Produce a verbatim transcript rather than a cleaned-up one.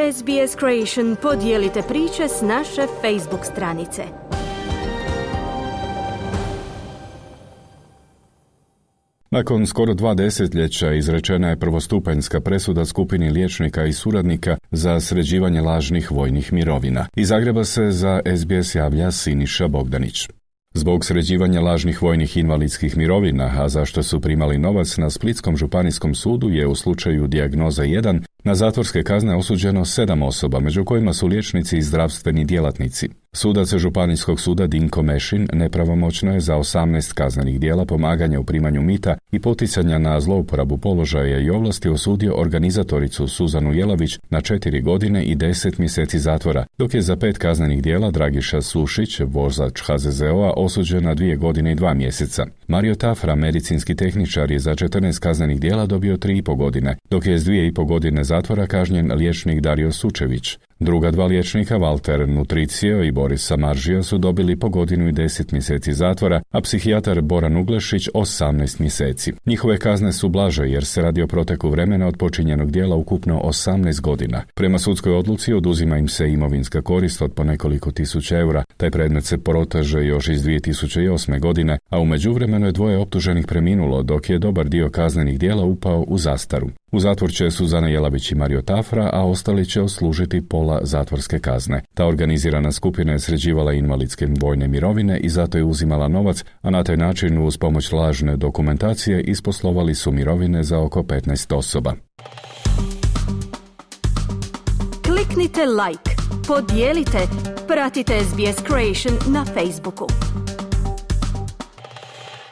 S B S Creation podijelite priče s naše Facebook stranice. Nakon skoro dva desetljeća izrečena je prvostupanjska presuda skupini liječnika i suradnika za sređivanje lažnih vojnih mirovina. Iz Zagreba se za S B S javlja Siniša Bogdanić. Zbog sređivanja lažnih vojnih invalidskih mirovina, a zašto su primali novac na Splitskom županijskom sudu, je u slučaju Dijagnoza jedan na zatvorske kazne osuđeno sedam osoba, među kojima su liječnici i zdravstveni djelatnici. Sudac Županijskog suda Dinko Mešin nepravomoćno je za osamnaest kaznenih djela pomaganja u primanju mita i poticanja na zlouporabu položaja i ovlasti osudio organizatoricu Suzanu Jelavić na četiri godine i deset mjeseci zatvora, dok je za pet kaznenih djela Dragiša Sušić, vozač H Z Z O-a, osuđen na dvije godine i dva mjeseca. Mario Tafra, medicinski tehničar, je za četrnaest kaznenih djela dobio tri i po godine, dok je s dvije i po godine zatvora kažnjen liječnik Dario Sučević. Druga dva liječnika, Valter Nutricio i Boris Samaržija, su dobili po godinu i deset mjeseci zatvora, a psihijatar Boran Uglešić osamnaest mjeseci. Njihove kazne su blaže jer se radi o proteku vremena od počinjenog djela ukupno osamnaest godina. Prema sudskoj odluci oduzima im se imovinska korist od po nekoliko tisuća eura. Taj predmet se proteže još iz dvije tisuće osme godine, a u međuvremenu je dvoje optuženih preminulo, dok je dobar dio kaznenih djela upao u zastaru. U zatvor će Suzana Jelavić i Mario Tafra, a ostali će odslužiti pola zatvorske kazne. Ta organizirana skupina je sređivala invalidske vojne mirovine i zato je uzimala novac, a na taj način uz pomoć lažne dokumentacije isposlovali su mirovine za oko petnaest osoba. Kliknite like, podijelite, pratite S B S Creation na Facebooku.